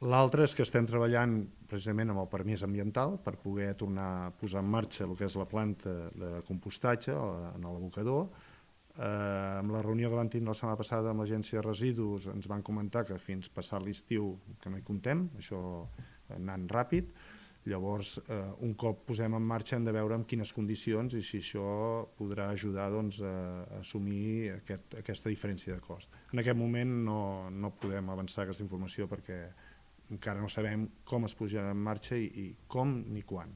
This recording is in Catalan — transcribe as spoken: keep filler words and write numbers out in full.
L'altre és que estem treballant precisament amb el permís ambiental per poder tornar a posar en marxa el que és la planta de compostatge en l'abocador. Eh, amb la reunió que vam tindre la setmana passada amb l'agència de residus ens van comentar que fins passat l'estiu que no hi comptem, això anant ràpid. Llavors, eh, un cop posem en marxa hem de veure en quines condicions i si això podrà ajudar doncs, a, a assumir aquest, aquesta diferència de cost. En aquest moment no, no podem avançar aquesta informació perquè encara no sabem com es posarà en marxa i, i com ni quan.